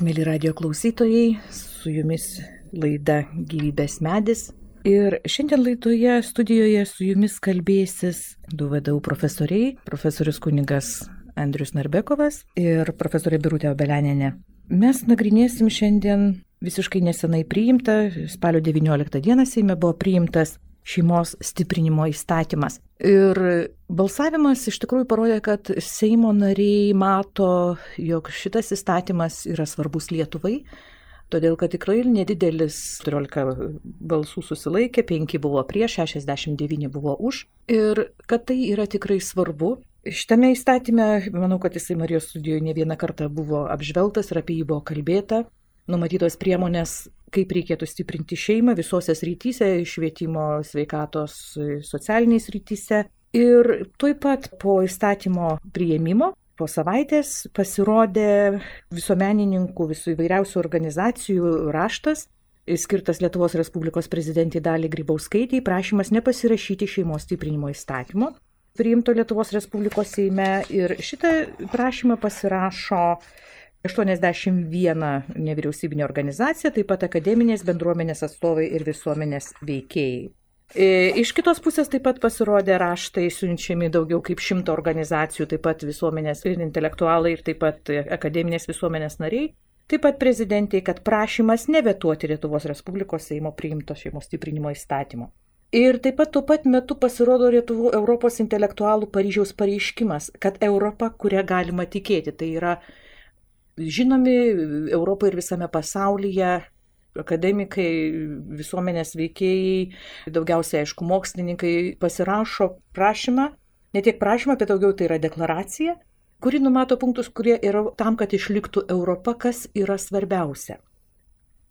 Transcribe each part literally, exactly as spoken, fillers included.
Mėly radio klausytojai, su jumis laida Gyvybės medis. Ir šiandien laidoje studijoje su jumis kalbėsis du V D U profesoriai, profesorius kunigas Andrius Narbekovas ir profesorė Birutė Obelianienė. Mes nagrinėsim šiandien visiškai nesenai priimtą, spalio devynioliktą dieną Seime buvo priimtas šeimos stiprinimo įstatymas. Ir balsavimas iš tikrųjų parodė, kad Seimo nariai mato, jog šitas įstatymas yra svarbus Lietuvai, todėl kad tikrai nedidelis keturiolika balsų susilaikė, penki buvo prieš, šešiasdešimt devyni buvo už ir kad tai yra tikrai svarbu. Šitame įstatyme, manau, kad jisai Marijos studijoje ne vieną kartą buvo apžvelgtas ir apie jį buvo kalbėta. Numatytos priemonės, kaip reikėtų stiprinti šeimą visose srityse, švietimo, sveikatos, socialiniais srityse. Ir tuoj pat po įstatymo priėmimo, po savaitės pasirodė visuomenininkų, visų įvairiausių organizacijų raštas, skirtas Lietuvos Respublikos prezidentei Daliai Grybauskaitei, prašymas nepasirašyti šeimos stiprinimo įstatymo, priimto Lietuvos Respublikos Seime. Ir šitą prašymą pasirašo aštuoniasdešimt viena nevyriausybinė organizacija, taip pat akademinės bendruomenės atstovai ir visuomenės veikėjai. Iš kitos pusės taip pat pasirodė raštai siunčiami daugiau kaip šimto organizacijų, taip pat visuomenės ir intelektualai ir taip pat akademinės visuomenės nariai, taip pat prezidentei, kad prašymas nevetuoti Lietuvos Respublikos Seimo priimto šeimos stiprinimo įstatymo. Ir taip pat tuo pat metu pasirodo Lietuvos Europos intelektualų Paryžiaus pareiškimas, kad Europa, kuria galima tikėti, tai yra žinomi Europoje ir visame pasaulyje akademikai, visuomenės veikėjai, daugiausiai, aišku, mokslininkai pasirašo prašymą, ne tiek prašymą, bet daugiau tai yra deklaracija, kuri numato punktus, kurie yra tam, kad išliktų Europa, kas yra svarbiausia.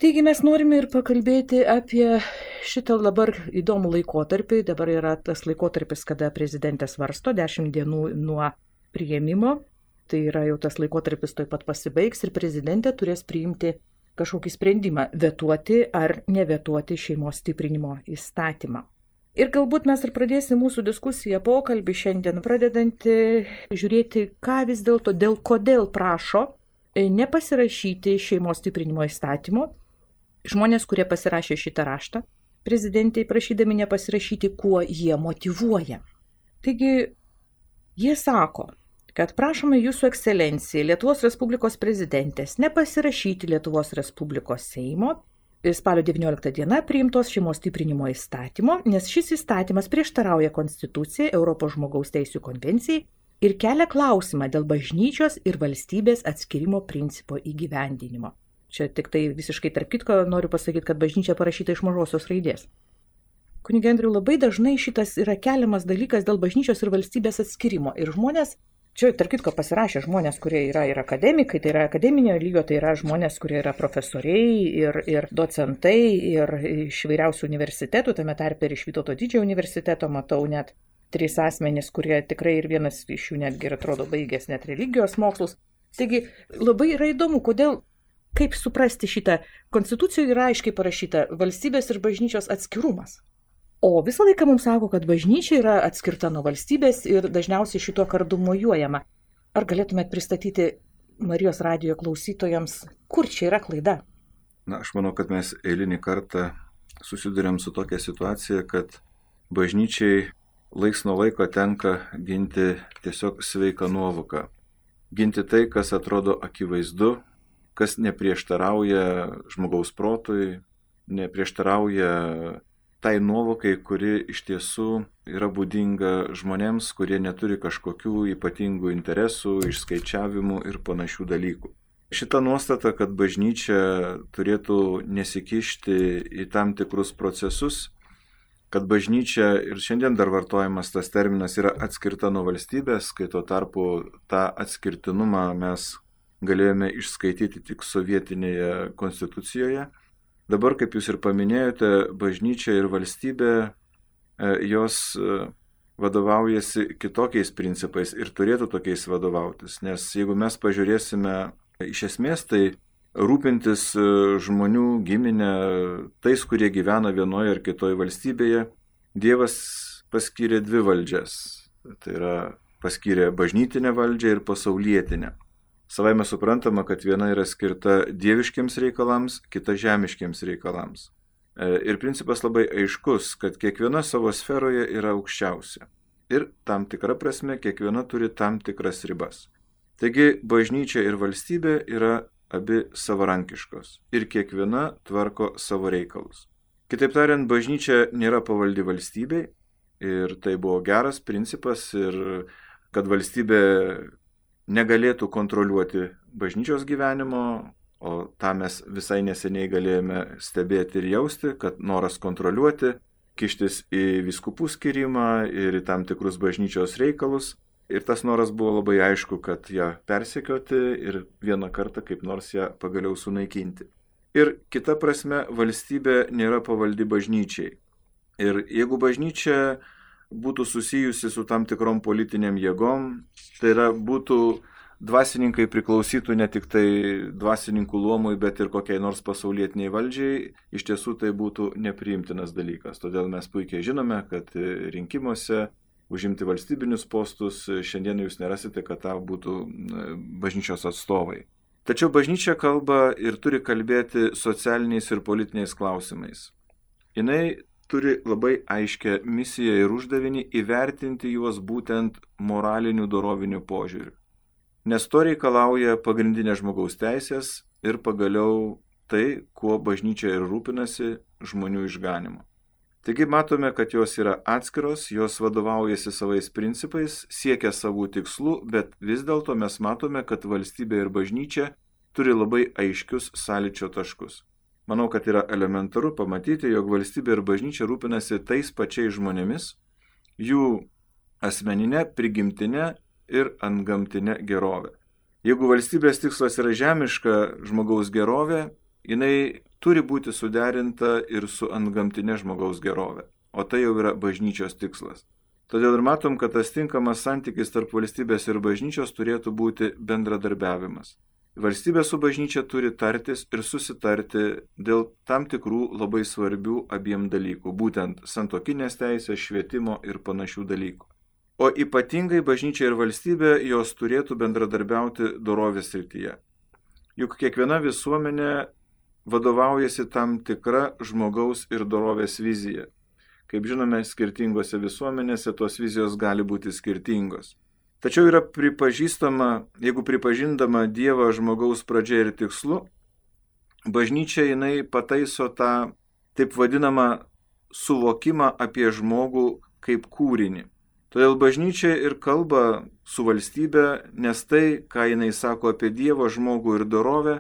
Taigi mes norime ir pakalbėti apie šitą dabar įdomų laikotarpį. Dabar yra tas laikotarpis, kada prezidentė svarsto, dešimt dienų nuo priėmimo. Tai yra jau tas laikotarpis tuoj pat pasibaigs ir prezidentė turės priimti kažkokį sprendimą, vetuoti ar nevetuoti šeimos stiprinimo įstatymą. Ir galbūt mes ir pradėsime mūsų diskusiją, pokalbį šiandien, pradedantį žiūrėti, ką vis dėlto, dėl kodėl prašo nepasirašyti šeimos stiprinimo įstatymo. Žmonės, kurie pasirašė šitą raštą, prezidentai prašydami nepasirašyti, kuo jie motyvuoja. Taigi, jie sako, kad prašome Jūsų ekscelencijai Lietuvos Respublikos prezidentės nepasirašyti Lietuvos Respublikos Seimo spalio devynioliktą dieną priimtos šeimos stiprinimo įstatymo, nes šis įstatymas prieštarauja Konstitucijai, Europos žmogaus teisių konvencijai ir kelia klausimą dėl bažnyčios ir valstybės atskirimo principo įgyvendinimo. Čia tik tai visiškai tarp kitko noriu pasakyti, kad bažnyčia parašyta iš mažosios raidės. Kunige Andriau, labai dažnai šitas yra keliamas dalykas dėl bažnyčios ir valstybės atskirimo ir žmonės, čia tarp kitko pasirašė žmonės, kurie yra ir akademikai, tai yra akademinio lygio, tai yra žmonės, kurie yra profesoriai ir, ir docentai ir iš vairiausių universitetų, tame tarpe ir iš Vytauto Didžiojo universiteto, matau net trys asmenys, kurie tikrai ir vienas iš jų netgi ir atrodo baigęs net religijos mokslus. Taigi labai yra įdomu, kodėl, kaip suprasti šitą. Konstitucijoje yra aiškiai parašyta valstybės ir bažnyčios atskirumas. O visą laiką mums sako, kad bažnyčia yra atskirta nuo valstybės ir dažniausiai šituo kardu mojuojama. Ar galėtumėt pristatyti Marijos radijo klausytojams, kur čia yra klaida? Na, aš manau, kad mes eilinį kartą susidurėm su tokia situacija, kad bažnyčiai laiks nuo laiko tenka ginti tiesiog sveiką nuovoką. Ginti tai, kas atrodo akivaizdu, kas neprieštarauja žmogaus protui, neprieštarauja tai nuovokai, kuri iš tiesų yra būdinga žmonėms, kurie neturi kažkokių ypatingų interesų, išskaičiavimų ir panašių dalykų. Šita nuostata, kad bažnyčia turėtų nesikišti į tam tikrus procesus, kad bažnyčia, ir šiandien dar vartojamas tas terminas, yra atskirta nuo valstybės, kai tuo tarpu tą atskirtinumą mes galėjome išskaityti tik sovietinėje konstitucijoje. Dabar, kaip jūs ir paminėjote, bažnyčia ir valstybė, jos vadovaujasi kitokiais principais ir turėtų tokiais vadovautis. Nes jeigu mes pažiūrėsime iš esmės, tai rūpintis žmonių giminę, tais, kurie gyvena vienoje ar kitoje valstybėje, Dievas paskyrė dvi valdžias. Tai yra paskyrė bažnytinę valdžią ir pasaulietinę. Savaime suprantama, kad viena yra skirta dieviškiams reikalams, kita žemiškiams reikalams. Ir principas labai aiškus, kad kiekviena savo sferoje yra aukščiausia. Ir tam tikra prasme kiekviena turi tam tikras ribas. Taigi bažnyčia ir valstybė yra abi savarankiškos ir kiekviena tvarko savo reikalus. Kitaip tariant, bažnyčia nėra pavaldi valstybei ir tai buvo geras principas ir kad valstybė negalėtų kontroliuoti bažnyčios gyvenimo, o tą mes visai neseniai galėjome stebėti ir jausti, kad noras kontroliuoti, kištis į vyskupų skirimą ir į tam tikrus bažnyčios reikalus. Ir tas noras buvo labai aišku, kad ją persekioti ir vieną kartą kaip nors ją pagaliau sunaikinti. Ir kita prasme, valstybė nėra pavaldi bažnyčiai. Ir jeigu bažnyčia būtų susijusi su tam tikrom politiniam jėgom, tai yra būtų dvasininkai priklausytų ne tik tai dvasininkų luomui, bet ir kokiai nors pasaulietiniai valdžiai, iš tiesų tai būtų nepriimtinas dalykas. Todėl mes puikiai žinome, kad rinkimuose užimti valstybinius postus šiandien jūs nerasite, kad tą būtų bažnyčios atstovai. Tačiau bažnyčia kalba ir turi kalbėti socialiniais ir politiniais klausimais. Jinai turi labai aiškę misiją ir uždavinį įvertinti juos būtent moralinių dorovinių požiūrių. Nes to reikalauja pagrindinė žmogaus teisės ir pagaliau tai, kuo bažnyčia ir rūpinasi žmonių išganimu. Taigi matome, kad jos yra atskiros, jos vadovaujasi savais principais, siekia savų tikslų, bet vis dėlto mes matome, kad valstybė ir bažnyčia turi labai aiškius sąlyčio taškus. Manau, kad yra elementaru pamatyti, jog valstybė ir bažnyčia rūpinasi tais pačiais žmonėmis, jų asmeninė, prigimtinė ir antgamtinė gerovė. Jeigu valstybės tikslas yra žemiška žmogaus gerovė, jinai turi būti suderinta ir su antgamtinė žmogaus gerovė, o tai jau yra bažnyčios tikslas. Todėl ir matom, kad tas tinkamas santykis tarp valstybės ir bažnyčios turėtų būti bendradarbiavimas. Valstybė su bažnyčia turi tartis ir susitarti dėl tam tikrų labai svarbių abiem dalykų, būtent santuokinės teisės, švietimo ir panašių dalykų. O ypatingai bažnyčia ir valstybė jos turėtų bendradarbiauti dorovės srityje. Juk kiekviena visuomenė vadovaujasi tam tikra žmogaus ir dorovės vizija. Kaip žinome, skirtingose visuomenėse tos vizijos gali būti skirtingos. Tačiau yra pripažįstama, jeigu pripažindama Dievą žmogaus pradžia ir tikslu, bažnyčia jinai pataiso tą taip vadinamą suvokimą apie žmogų kaip kūrinį. Todėl bažnyčia ir kalba su valstybe, nes tai, ką jinai sako apie Dievo žmogų ir dorovę,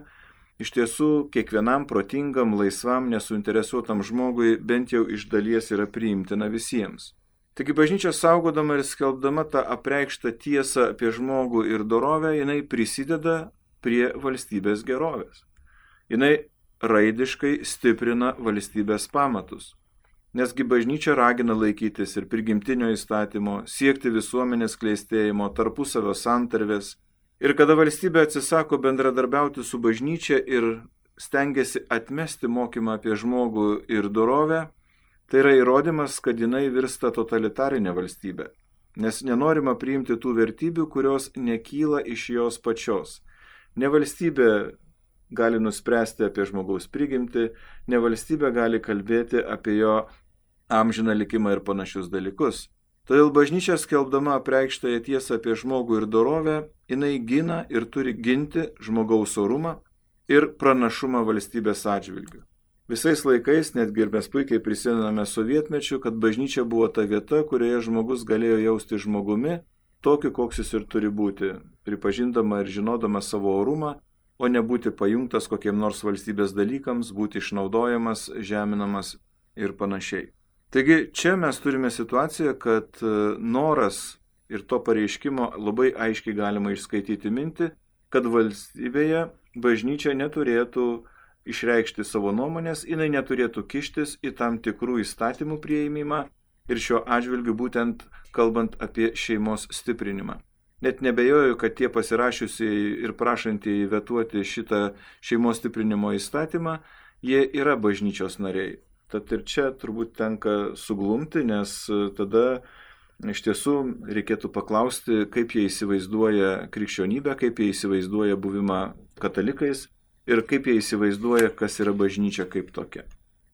iš tiesų kiekvienam protingam, laisvam, nesuinteresuotam žmogui bent jau iš dalies yra priimtina visiems. Taigi bažnyčia saugodama ir skelbdama tą apreikštą tiesą apie žmogų ir dorovę, jinai prisideda prie valstybės gerovės. Jinai raidiškai stiprina valstybės pamatus. Nesgi bažnyčia ragina laikytis ir prigimtinio įstatymo, siekti visuomenės klėstėjimo, tarpusavio santarvės. Ir kada valstybė atsisako bendradarbiauti su bažnyčia ir stengiasi atmesti mokymą apie žmogų ir dorovę, tai yra įrodymas, kad jinai virsta totalitarinė valstybė, nes nenorima priimti tų vertybių, kurios nekyla iš jos pačios. Ne valstybė gali nuspręsti apie žmogaus prigimtį, ne valstybė gali kalbėti apie jo amžiną likimą ir panašius dalykus. Todėl bažnyčia skelbdama apreikštąją tiesą apie žmogų ir dorovę, jinai gina ir turi ginti žmogaus orumą ir pranašumą valstybės atžvilgiu. Visais laikais, netgi ir mes puikiai prisimename sovietmečiu, kad bažnyčia buvo ta vieta, kurioje žmogus galėjo jausti žmogumi, tokiu, koks jis ir turi būti, pripažindama ir žinodama savo orumą, o ne būti pajungtas kokiem nors valstybės dalykams, būti išnaudojamas, žeminamas ir panašiai. Taigi čia mes turime situaciją, kad noras ir to pareiškimo labai aiškiai galima išskaityti mintį, kad valstybėje bažnyčia neturėtų išreikšti savo nuomonės, jinai neturėtų kištis į tam tikrų įstatymų priėmimą ir šiuo atžvilgiu būtent kalbant apie šeimos stiprinimą. Net nebejoju, kad tie pasirašiusiai ir prašantieji vetuoti šitą šeimos stiprinimo įstatymą, jie yra bažnyčios nariai. Tad ir čia turbūt tenka suglumti, nes tada iš tiesų reikėtų paklausti, kaip jie įsivaizduoja krikščionybę, kaip jie įsivaizduoja buvimą katalikais ir kaip jie įsivaizduoja, kas yra bažnyčia kaip tokia.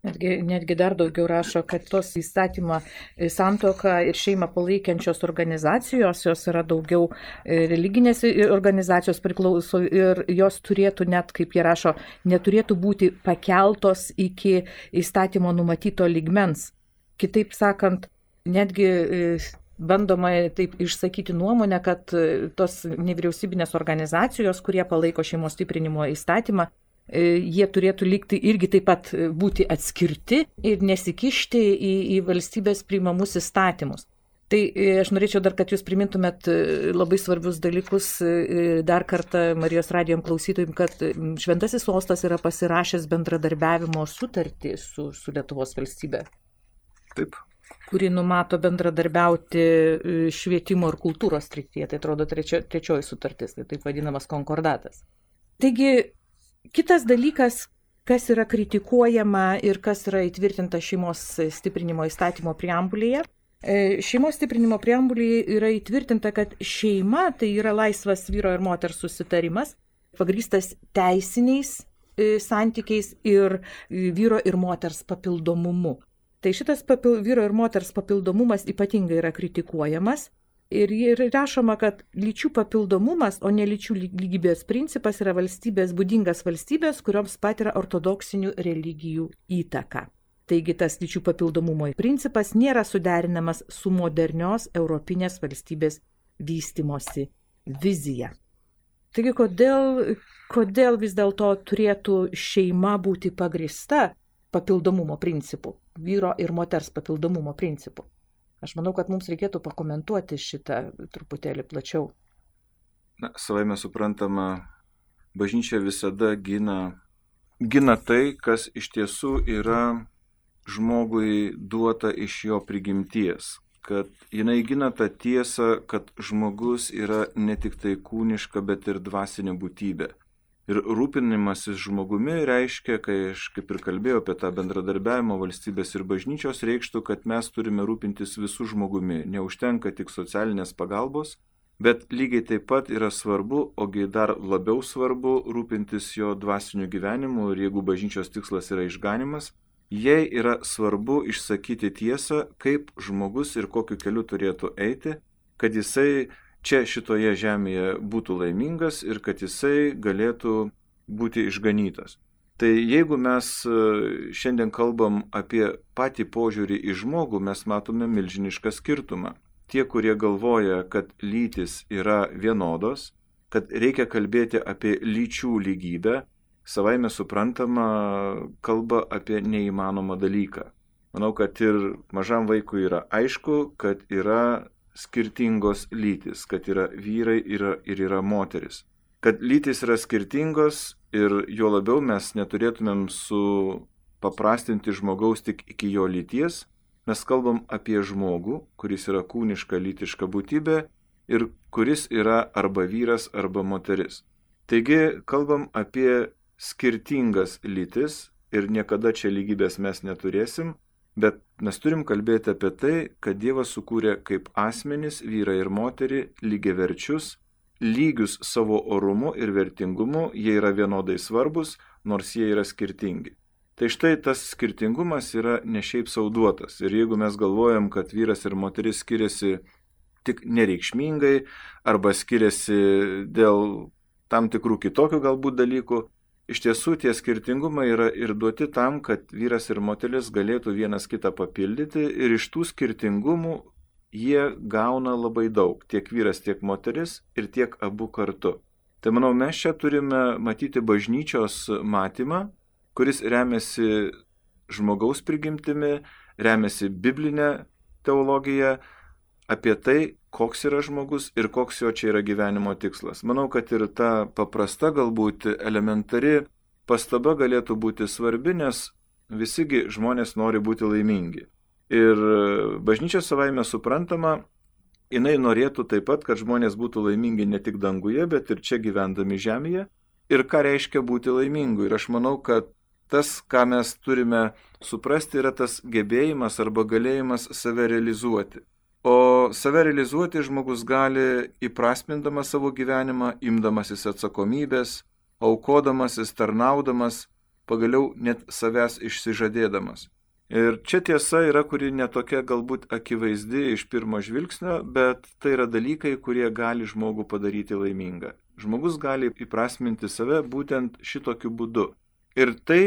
Netgi, netgi dar daugiau rašo, kad tos įstatymą santuoką ir šeimą palaikiančios organizacijos, jos yra daugiau religinės organizacijos priklauso ir jos turėtų net, kaip jie rašo, neturėtų būti pakeltos iki įstatymo numatyto lygmens. Kitaip sakant, netgi bandoma taip išsakyti nuomonę, kad tos nevyriausybinės organizacijos, kurie palaiko šeimos stiprinimo įstatymą, jie turėtų likti irgi taip pat būti atskirti ir nesikišti į, į valstybės priimamus įstatymus. Tai aš norėčiau dar, kad jūs primintumėt labai svarbius dalykus dar kartą Marijos radijom klausytojim, kad Šventasis Sostas yra pasirašęs bendradarbiavimo sutartį su, su Lietuvos valstybe. Taip. Kuri numato bendradarbiauti švietimo ir kultūros srityje. Tai atrodo trečio, trečioji sutartis, tai taip vadinamas konkordatas. Taigi, kitas dalykas, kas yra kritikuojama ir kas yra įtvirtinta šeimos stiprinimo įstatymo preambulėje. Šeimos stiprinimo preambulėje yra įtvirtinta, kad šeima tai yra laisvas vyro ir moters susitarimas, pagrįstas teisiniais santykiais ir vyro ir moters papildomumu. Tai šitas papil, vyro ir moters papildomumas ypatingai yra kritikuojamas. Ir rašoma, kad lyčių papildomumas, o ne lyčių lygybės principas yra valstybės būdingas valstybės, kurioms patiria ortodoksinių religijų įtaką. Taigi tas lyčių papildomumo principas nėra suderinamas su modernios europinės valstybės vystimosi vizija. Taigi kodėl, kodėl vis dėlto turėtų šeima būti pagrįsta papildomumo principu, vyro ir moters papildomumo principu? Aš manau, kad mums reikėtų pakomentuoti šitą truputėlį plačiau. Na, savaime suprantama, bažnyčia visada gina, gina tai, kas iš tiesų yra žmogui duota iš jo prigimties. Kad jinai gina tą tiesą, kad žmogus yra ne tik tai kūniška, bet ir dvasinė būtybė. Ir rūpinimasis žmogumi reiškia, kai aš kaip ir kalbėjau apie tą bendradarbiavimo valstybės ir bažnyčios, reikštų, kad mes turime rūpintis visų žmogumi. Neužtenka tik socialinės pagalbos, bet lygiai taip pat yra svarbu, ogi dar labiau svarbu rūpintis jo dvasiniu gyvenimu ir jeigu bažnyčios tikslas yra išganimas, jai yra svarbu išsakyti tiesą, kaip žmogus ir kokiu keliu turėtų eiti, kad jisai čia šitoje žemėje būtų laimingas ir kad jisai galėtų būti išganytas. Tai jeigu mes šiandien kalbam apie patį požiūrį į žmogų, mes matome milžinišką skirtumą. Tie, kurie galvoja, kad lytis yra vienodos, kad reikia kalbėti apie lyčių lygybę, savaime suprantama kalba apie neįmanomą dalyką. Manau, kad ir mažam vaikui yra aišku, kad yra skirtingos lytis, kad yra vyrai yra, ir yra moteris. Kad lytis yra skirtingos ir jo labiau mes neturėtumėm supaprastinti žmogaus tik iki jo lyties, mes kalbam apie žmogų, kuris yra kūniška lytiška būtybė ir kuris yra arba vyras arba moteris. Taigi kalbam apie skirtingas lytis ir niekada čia lygybės mes neturėsim, bet mes turim kalbėti apie tai, kad Dievas sukūrė kaip asmenys, vyrą ir moterį, lygiaverčius, lygius savo orumu ir vertingumu, jie yra vienodai svarbus, nors jie yra skirtingi. Tai štai tas skirtingumas yra ne šiaip sau duotas. Ir jeigu mes galvojam, kad vyras ir moteris skiriasi tik nereikšmingai arba skiriasi dėl tam tikrų kitokių galbūt dalykų, iš tiesų tie skirtingumai yra ir duoti tam, kad vyras ir moteris galėtų vienas kitą papildyti ir iš tų skirtingumų jie gauna labai daug, tiek vyras, tiek moteris ir tiek abu kartu. Tai manau, mes čia turime matyti bažnyčios matymą, kuris remiasi žmogaus prigimtimi, remiasi biblinė teologija apie tai, koks yra žmogus ir koks jo čia yra gyvenimo tikslas. Manau, kad ir ta paprasta, galbūt elementari pastaba galėtų būti svarbi, nes visigi žmonės nori būti laimingi. Ir bažnyčia savaime suprantama, jinai norėtų taip pat, kad žmonės būtų laimingi ne tik danguje, bet ir čia gyvendami žemėje. Ir ką reiškia būti laimingu. Ir aš manau, kad tas, ką mes turime suprasti, yra tas gebėjimas arba galėjimas save realizuoti. O save realizuoti žmogus gali įprasmindamas savo gyvenimą, imdamasis atsakomybės, aukodamasis, tarnaudamas, pagaliau net savęs išsižadėdamas. Ir čia tiesa yra, kuri netokia galbūt akivaizdi iš pirmo žvilgsnio, bet tai yra dalykai, kurie gali žmogų padaryti laimingą. Žmogus gali įprasminti save būtent šitokiu būdu. Ir tai,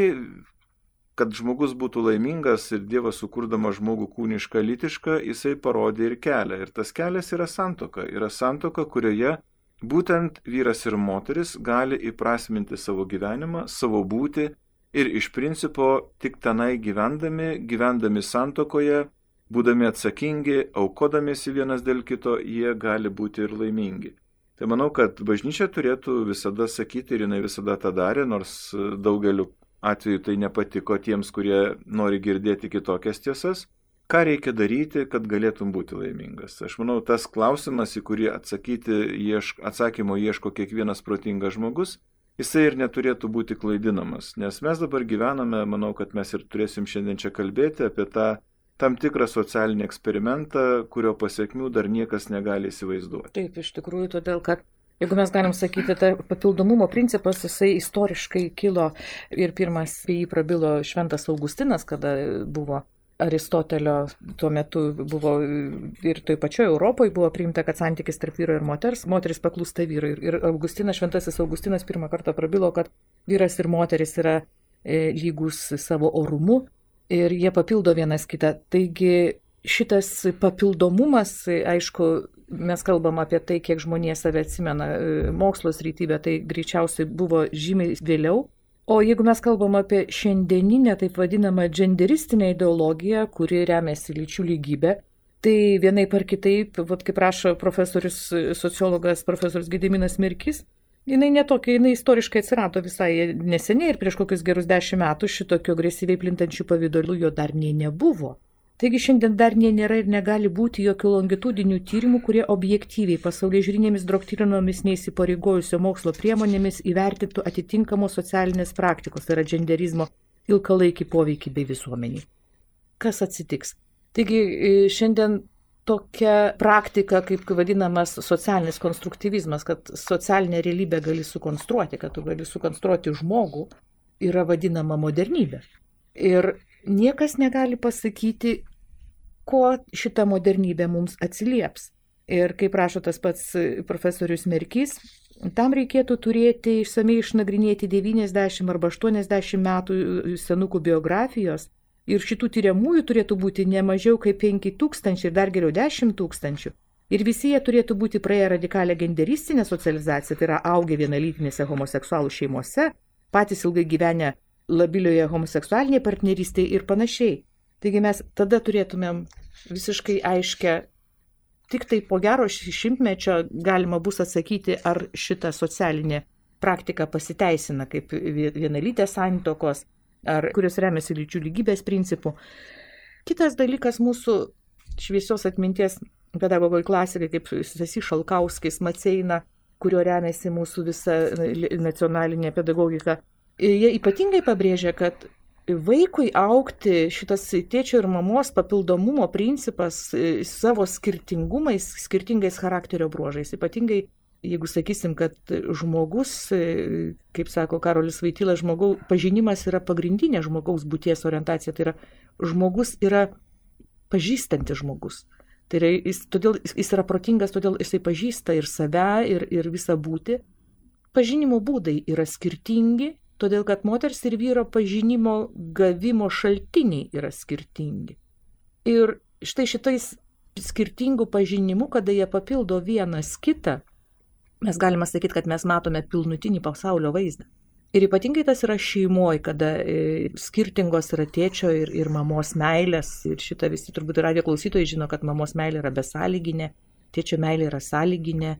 kad žmogus būtų laimingas ir Dievas sukurdama žmogų kūnišką, lytišką, jisai parodė ir kelią. Ir tas kelias yra santuoka. Yra santuoka, kurioje būtent vyras ir moteris gali įprasminti savo gyvenimą, savo būtį ir iš principo tik tenai gyvendami, gyvendami santuokoje, būdami atsakingi, aukodamiesi vienas dėl kito, jie gali būti ir laimingi. Tai manau, kad bažnyčia turėtų visada sakyti, ir jinai visada tą darė, nors daugeliu atveju tai nepatiko tiems, kurie nori girdėti kitokias tiesas. Ką reikia daryti, kad galėtum būti laimingas? Aš manau, tas klausimas, į kurį atsakyti, iešk, atsakymo ieško kiekvienas protingas žmogus, jisai ir neturėtų būti klaidinamas. Nes mes dabar gyvename, manau, kad mes ir turėsim šiandien čia kalbėti apie tą tam tikrą socialinį eksperimentą, kurio pasiekmių dar niekas negali įsivaizduoti. Taip, iš tikrųjų, todėl kad jeigu mes galim sakyti, tai papildomumo principas, jisai istoriškai kilo ir pirmas apie jį prabilo Šventas Augustinas, kada buvo Aristotelio, tuo metu buvo ir toj pačioj Europoje buvo priimta, kad santykis tarp vyro ir moters, moteris paklūsta vyrui. Ir Augustinas, Šventasis Augustinas pirmą kartą prabilo, kad vyras ir moteris yra e, lygus savo orumu ir jie papildo vienas kitą. Taigi šitas papildomumas, aišku, mes kalbam apie tai, kiek žmonės save atsimena mokslo srityje, tai greičiausiai buvo žymiai vėliau. O jeigu mes kalbam apie šiandieninę, taip vadinamą genderistinę ideologiją, kuri remiasi lyčių lygybę, tai vienaip ar kitaip, vat, kaip rašo profesorius, sociologas profesorius Gediminas Mirkys, jinai netokia, jinai istoriškai atsirado visai neseniai ir prieš kokius gerus dešimt metų šitokio agresyviai plintančių pavydalų jo dar nei nebuvo. Taigi šiandien dar nei nėra ir negali būti jokių longitudinių tyrimų, kurie objektyviai pasaulyje žiūrinėmis doktrinomis neįsipareigojusio mokslo priemonėmis įvertintų atitinkamos socialinės praktikos, tai yra genderizmo ilgalaikį poveikį bei visuomeniai. Kas atsitiks? Taigi šiandien tokia praktika, kaip vadinamas socialinis konstruktyvizmas, kad socialinę realybę gali sukonstruoti, kad tu gali sukonstruoti žmogų, yra vadinama modernybė. Ir niekas negali pasakyti, ko šita modernybė mums atsilieps. Ir kaip rašo tas pats profesorius Merkys, tam reikėtų turėti išsamei išnagrinėti devyniasdešimt arba aštuoniasdešimt metų senukų biografijos ir šitų tyriamųjų turėtų būti ne mažiau kaip penki tūkstančiai ir dar geriau dešimt tūkstančių. Ir visi jie turėtų būti praėję radikalią genderistinę socializaciją, tai yra augę vienalytinėse homoseksualų šeimose, patys ilgai gyvenę labilioje homoseksualinėje partnerystėje ir panašiai. Taigi mes tada turėtumėm visiškai aiškę, tik tai po gero šimtmečio galima bus atsakyti, ar šita socialinė praktika pasiteisina kaip vienalytės santuokos, ar kurios remiasi lyčių lygybės principų. Kitas dalykas mūsų šviesios atminties pedagogoj klasikai, kaip Stasys Šalkauskis, Maceina, kurio remiasi mūsų visa nacionalinė pedagogika, jie ypatingai pabrėžia, kad vaikui augti šitas tėčio ir mamos papildomumo principas savo skirtingumais, skirtingais charakterio bruožais. Ypatingai, jeigu sakysim, kad žmogus, kaip sako Karolis Voityla, žmogaus pažinimas yra pagrindinė žmogaus būties orientacija. Tai yra, žmogus yra pažįstantis žmogus. Tai yra, jis, todėl, jis yra protingas, todėl jisai pažįsta ir save, ir, ir visą būtį. Pažinimo būdai yra skirtingi, todėl kad moters ir vyro pažinimo gavimo šaltiniai yra skirtingi. Ir štai šitais skirtingų pažinimų, kada jie papildo vienas kitą, mes galime sakyti, kad mes matome pilnutinį pasaulio vaizdą. Ir ypatingai tas yra šeimoje, kada skirtingos yra tėčio ir, ir mamos meilės. Ir šitą visi turbūt radijo klausytojai žino, kad mamos meilė yra besąlyginė, tėčio meilė yra sąlyginė,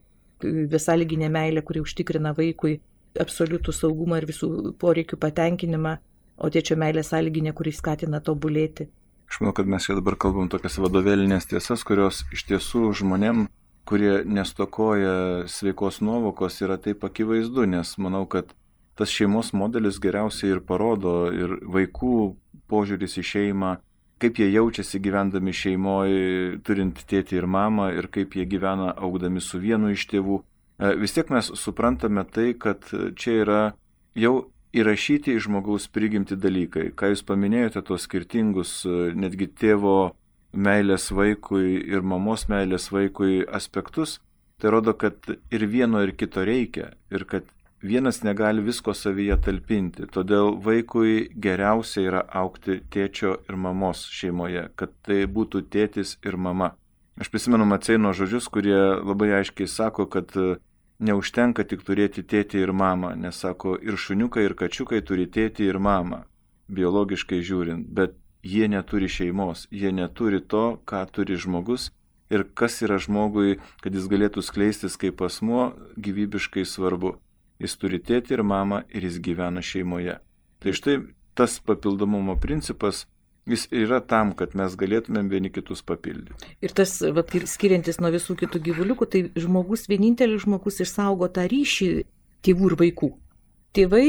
besąlyginė meilė, kuri užtikrina vaikui absoliutų saugumą ir visų poreikių patenkinimą, o tėčio meilė sąlyginė, kuri skatina tobulėti. Aš manau, kad mes čia dabar kalbam tokias vadovėlinės tiesas, kurios iš tiesų žmonėm, kurie nestokoja sveikos nuovokos, yra taip akivaizdu, nes manau, kad tas šeimos modelis geriausiai ir parodo ir vaikų požiūris į šeimą, kaip jie jaučiasi gyvendami šeimoje, turint tėtį ir mamą, ir kaip jie gyvena augdami su vienu iš tėvų. Vis tiek mes suprantame tai, kad čia yra jau įrašyti į žmogaus prigimti dalykai. Ką jūs paminėjote, tos skirtingus netgi tėvo meilės vaikui ir mamos meilės vaikui aspektus, tai rodo, kad ir vieno ir kito reikia ir kad vienas negali visko savyje talpinti. Todėl vaikui geriausia yra augti tėčio ir mamos šeimoje, kad tai būtų tėtis ir mama. Aš prisimenu Maceino žodžius, kurie labai aiškiai sako, kad neužtenka tik turėti tėtį ir mamą, nes sako, ir šuniukai, ir kačiukai turi tėtį ir mamą, biologiškai žiūrint, bet jie neturi šeimos, jie neturi to, ką turi žmogus ir kas yra žmogui, kad jis galėtų skleistis kaip asmuo, gyvybiškai svarbu. Jis turi tėtį ir mamą ir jis gyvena šeimoje. Tai štai tas papildomumo principas, jis yra tam, kad mes galėtumėm vieni kitus papildyti. Ir tas, va, skiriantis nuo visų kitų gyvuliukų, tai žmogus, vienintelis žmogus išsaugo tą ryšį tėvų ir vaikų. Tėvai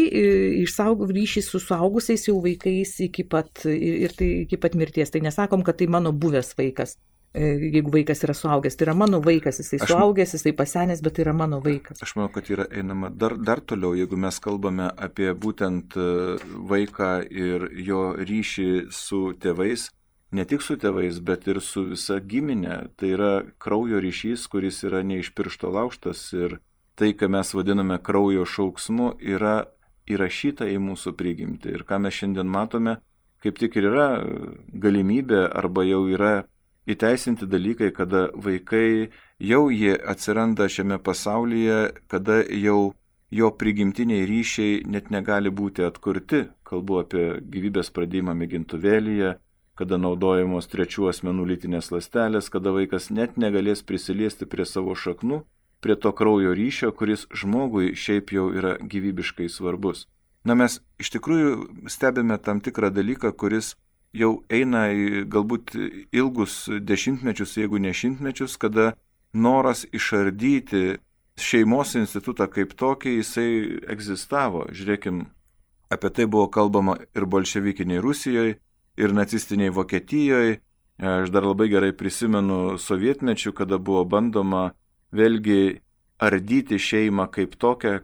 išsaugo ryšį su suaugusiais jau vaikais iki pat, ir tai iki pat mirties. Tai nesakom, kad tai mano buvęs vaikas. Jeigu vaikas yra suaugęs, tai yra mano vaikas, jisai aš, suaugęs, jisai pasenęs, bet tai yra mano vaikas. Aš manau, kad yra einama dar, dar toliau, jeigu mes kalbame apie būtent vaiką ir jo ryšį su tėvais, ne tik su tėvais, bet ir su visa giminė. Tai yra kraujo ryšys, kuris yra ne iš piršto laužtas ir tai, ką mes vadiname kraujo šauksmu, yra įrašyta į mūsų prigimtį. Ir ką mes šiandien matome, kaip tik ir yra galimybė arba jau yra įteisinti dalykai, kada vaikai jau jie atsiranda šiame pasaulyje, kada jau jo prigimtiniai ryšiai net negali būti atkurti. Kalbu apie gyvybės pradėjimą mėgintuvėlyje, kada naudojamos trečių asmenų lytinės ląstelės, kada vaikas net negalės prisiliesti prie savo šaknų, prie to kraujo ryšio, kuris žmogui šiaip jau yra gyvybiškai svarbus. Na, mes iš tikrųjų stebime tam tikrą dalyką, kuris jau eina į galbūt ilgus dešimtmečius, jeigu ne šimtmečius, kada noras išardyti šeimos institutą kaip tokį, jisai egzistavo. Žiūrėkim, apie tai buvo kalbama ir bolševikiniai Rusijoje, ir nacistiniai Vokietijoje. Aš dar labai gerai prisimenu sovietmečių, kada buvo bandoma vėlgi ardyti šeimą kaip tokią,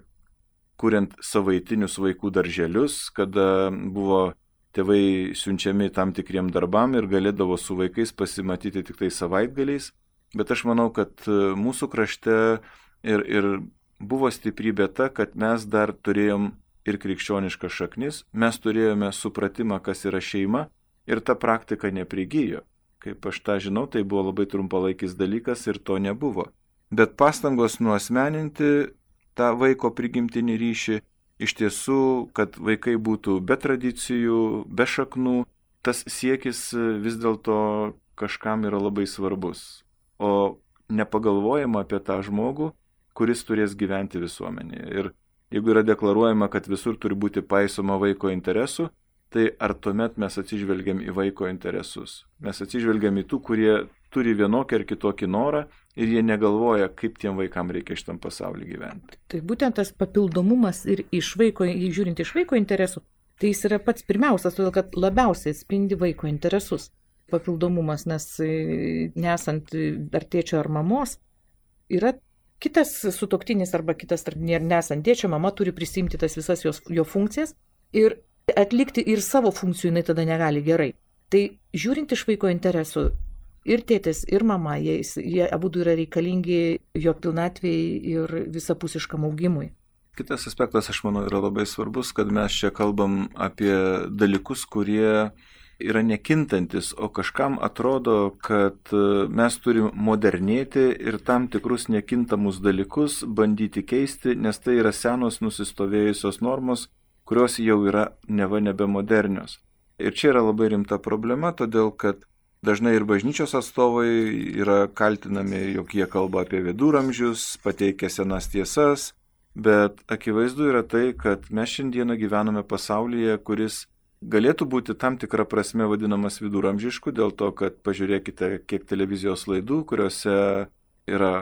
kuriant savaitinius vaikų darželius, kada buvo tėvai siunčiami tam tikriem darbam ir galėdavo su vaikais pasimatyti tik tai savaitgaliais. Bet aš manau, kad mūsų krašte ir, ir buvo stiprybė ta, kad mes dar turėjom ir krikščioniškas šaknis, mes turėjome supratimą, kas yra šeima ir ta praktika neprigijo. Kaip aš tą žinau, tai buvo labai trumpalaikis dalykas ir to nebuvo. Bet pastangos nuasmeninti tą vaiko prigimtinį ryšį, iš tiesų, kad vaikai būtų be tradicijų, be šaknų, tas siekis vis dėlto kažkam yra labai svarbus. O nepagalvojama apie tą žmogų, kuris turės gyventi visuomenėje. Ir jeigu yra deklaruojama, kad visur turi būti paisoma vaiko interesų, tai ar tuomet mes atsižvelgiam į vaiko interesus? Mes atsižvelgiam į tų, kurie turi vienokį ar kitokį norą ir jie negalvoja, kaip tiem vaikam reikia šitam pasaulyje gyventi. Tai būtent tas papildomumas ir iš vaiko, žiūrint iš vaiko interesų, tai jis yra pats pirmiausias, todėl kad labiausiai atspindi vaiko interesus. Papildomumas, nes nesant ar tėčio ar mamos, yra kitas sutuoktinis arba kitas, nesant tėčio, mama turi prisimti tas visas jos, jo funkcijas ir atlikti ir savo funkcijų jinai tada negali gerai. Tai žiūrint iš vaiko interesų, ir tėtis, ir mama, jie, jie abudu yra reikalingi jo pilnatvėjai ir visapusiškam augimui. Kitas aspektas, aš manau, yra labai svarbus, kad mes čia kalbam apie dalykus, kurie yra nekintantis, o kažkam atrodo, kad mes turim modernėti ir tam tikrus nekintamus dalykus bandyti keisti, nes tai yra senos nusistovėjusios normos, kurios jau yra neva nebemodernios. Ir čia yra labai rimta problema, todėl kad dažnai ir bažnyčios atstovai yra kaltinami, jog jie kalba apie viduramžius, pateikia senas tiesas, bet akivaizdu yra tai, kad mes šiandieną gyvename pasaulyje, kuris galėtų būti tam tikrą prasme vadinamas viduramžišku, dėl to, kad pažiūrėkite, kiek televizijos laidų, kuriuose yra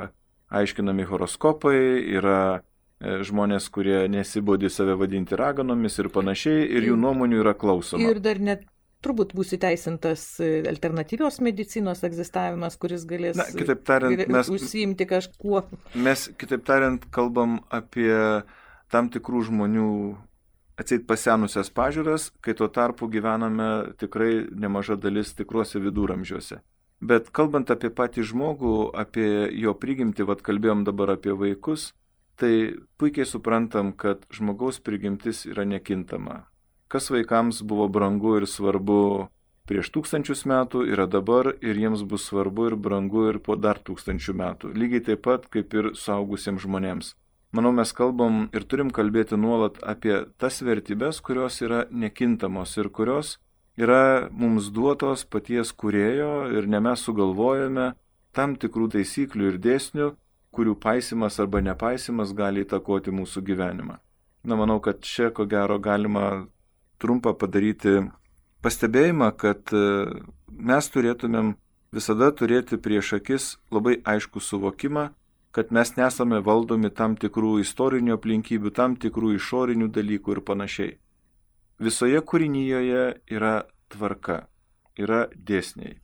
aiškinami horoskopai, yra žmonės, kurie nesibodi save vadinti raganomis ir panašiai, ir jų nuomonių yra klausoma. Ir dar net turbūt bus įteisintas alternatyvios medicinos egzistavimas, kuris galės, Na, kitaip tariant, mes, užsiimti kažkuo. Mes, kitaip tariant, kalbam apie tam tikrų žmonių atseit pasenusias pažiūras, kai tuo tarpu gyvename tikrai nemaža dalis tikruose viduramžiuose. Bet kalbant apie patį žmogų, apie jo prigimtį, vad kalbėjom dabar apie vaikus, tai puikiai suprantam, kad žmogaus prigimtis yra nekintama. Kas vaikams buvo brangu ir svarbu prieš tūkstančius metų, yra dabar ir jiems bus svarbu ir brangu ir po dar tūkstančių metų. Lygiai taip pat kaip ir suaugusiems žmonėms. Manau, mes kalbam ir turim kalbėti nuolat apie tas vertybės, kurios yra nekintamos ir kurios yra mums duotos paties kūrėjo ir ne mes sugalvojame tam tikrų taisyklių ir dėsnių, kurių paisimas arba nepaisimas gali įtakoti mūsų gyvenimą. Na, manau, kad čia ko gero galima trumpą padaryti pastebėjimą, kad mes turėtumėm visada turėti prieš akis labai aiškų suvokimą, kad mes nesame valdomi tam tikrų istorinių aplinkybių, tam tikrų išorinių dalykų ir panašiai. Visoje kūrinyjoje yra tvarka, yra dėsniai.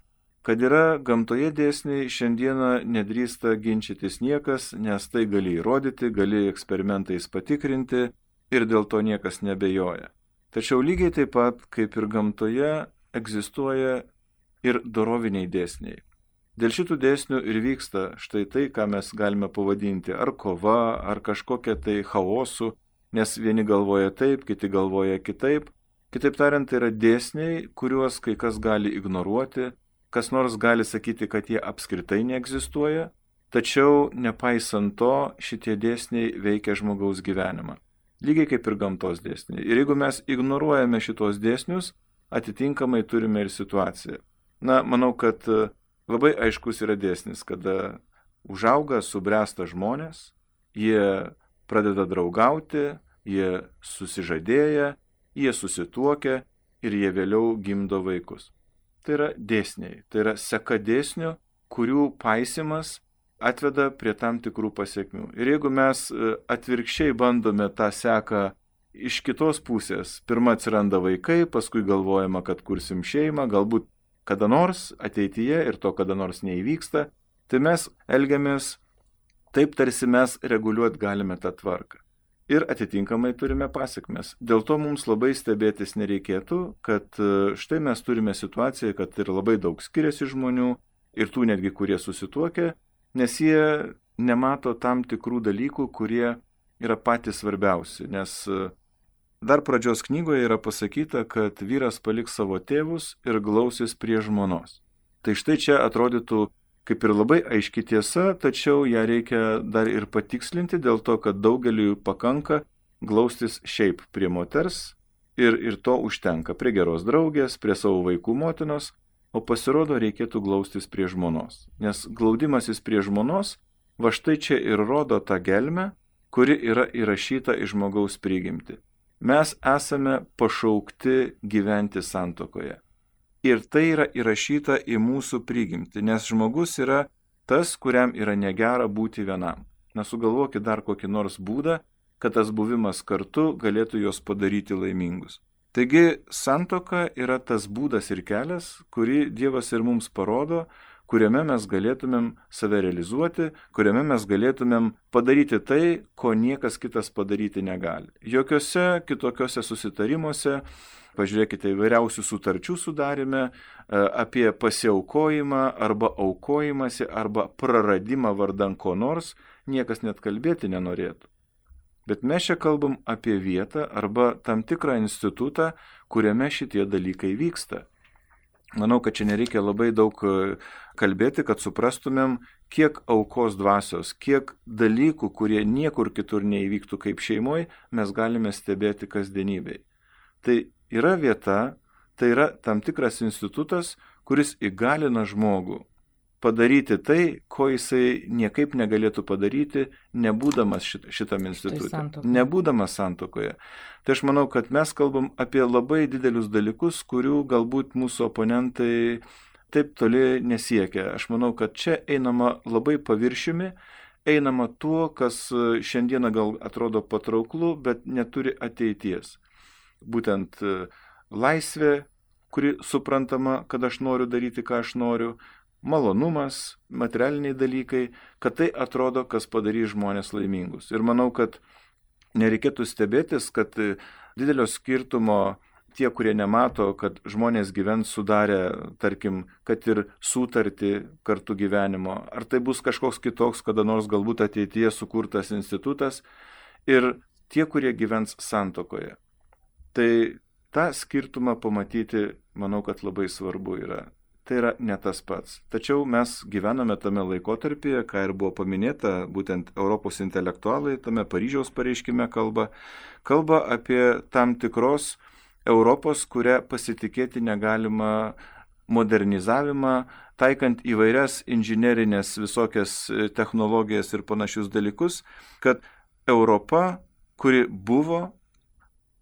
Kad yra gamtoje dėsniai, šiandieną nedrįsta ginčytis niekas, nes tai gali įrodyti, gali eksperimentais patikrinti ir dėl to niekas nebejoja. Tačiau lygiai taip pat, kaip ir gamtoje, egzistuoja ir doroviniai dėsniai. Dėl šitų dėsnių ir vyksta štai tai, ką mes galime pavadinti ar kova, ar kažkokia tai chaosu, nes vieni galvoja taip, kiti galvoja kitaip. Kitaip tariant, tai yra dėsniai, kuriuos kai kas gali ignoruoti, kas nors gali sakyti, kad jie apskritai neegzistuoja, tačiau nepaisant to, šitie dėsniai veikia žmogaus gyvenimą. Lygiai kaip ir gamtos dėsniai. Ir jeigu mes ignoruojame šitos dėsnius, atitinkamai turime ir situaciją. Na, manau, kad labai aiškus yra dėsnis, kada užauga, subręsta žmonės, jie pradeda draugauti, jie susižadėja, jie susituokia ir jie vėliau gimdo vaikus. Tai yra dėsniai, tai yra seka dėsnių, kurių paisimas atveda prie tam tikrų pasiekmių. Ir jeigu mes atvirkščiai bandome tą seką iš kitos pusės, pirma atsiranda vaikai, paskui galvojama, kad kursim šeimą, galbūt kada nors ateityje ir to kada nors neįvyksta, tai mes elgiamės taip, tarsi mes reguliuoti galime tą tvarką. Ir atitinkamai turime pasiekmes. Dėl to mums labai stebėtis nereikėtų, kad štai mes turime situaciją, kad ir labai daug skiriasi žmonių, ir tų netgi, kurie susituokia, nes jie nemato tam tikrų dalykų, kurie yra patys svarbiausi. Nes dar pradžios knygoje yra pasakyta, kad vyras paliks savo tėvus ir glausis prie žmonos. Tai štai čia atrodytų kaip ir labai aiški tiesa, tačiau ją reikia dar ir patikslinti dėl to, kad daugeliui pakanka glaustis šiaip prie moters ir, ir to užtenka prie geros draugės, prie savo vaikų motinos, o pasirodo reikėtų glaustis prie žmonos. Nes glaudimasis prie žmonos, va štai čia ir rodo tą gelmę, kuri yra įrašyta į žmogaus prigimtį. Mes esame pašaukti gyventi santuokoje. Ir tai yra įrašyta į mūsų prigimtį, nes žmogus yra tas, kuriam yra negera būti vienam. Nesugalvokit dar kokį nors būdą, kad tas buvimas kartu galėtų juos padaryti laimingus. Taigi santuoka yra tas būdas ir kelias, kurį Dievas ir mums parodo, kuriame mes galėtumėm save realizuoti, kuriame mes galėtumėm padaryti tai, ko niekas kitas padaryti negali. Jokiuose kitokiuose susitarimuose, pažiūrėkite įvairiausių sutarčių sudarime, apie pasiaukojimą arba aukojimąsi arba praradimą vardan ko nors, niekas net kalbėti nenorėtų. Bet mes čia kalbam apie vietą arba tam tikrą institutą, kuriame šitie dalykai vyksta. Manau, kad čia nereikia labai daug kalbėti, kad suprastumėm, kiek aukos dvasios, kiek dalykų, kurie niekur kitur neįvyktų kaip šeimoje, mes galime stebėti kasdienybėj. Tai yra vieta, tai yra tam tikras institutas, kuris įgalina žmogų padaryti tai, ko jisai niekaip negalėtų padaryti, nebūdamas šit, šitam institutui, nebūdamas santuokoje. Tai aš manau, kad mes kalbam apie labai didelius dalykus, kurių galbūt mūsų oponentai taip toli nesiekia. Aš manau, kad čia einama labai paviršiumi, einama tuo, kas šiandieną gal atrodo patrauklu, bet neturi ateities. Būtent laisvė, kuri suprantama, kad aš noriu daryti, ką aš noriu, malonumas, materialiniai dalykai, kad tai atrodo, kas padarys žmonės laimingus. Ir manau, kad nereikėtų stebėtis, kad didelio skirtumo tie, kurie nemato, kad žmonės gyvens sudarę, tarkim, kad ir sutartį kartu gyvenimo, ar tai bus kažkoks kitoks, kada nors galbūt ateityje sukurtas institutas, ir tie, kurie gyvens santuokoje. Tai tą skirtumą pamatyti, manau, kad labai svarbu yra. Tai yra ne tas pats. Tačiau mes gyvename tame laikotarpyje, ką ir buvo paminėta, būtent Europos intelektualai tame Paryžiaus pareiškime kalba, kalba apie tam tikros Europos, kurią pasitikėti negalima modernizavimą, taikant įvairias inžinerinės visokias technologijas ir panašius dalykus, kad Europa, kuri buvo,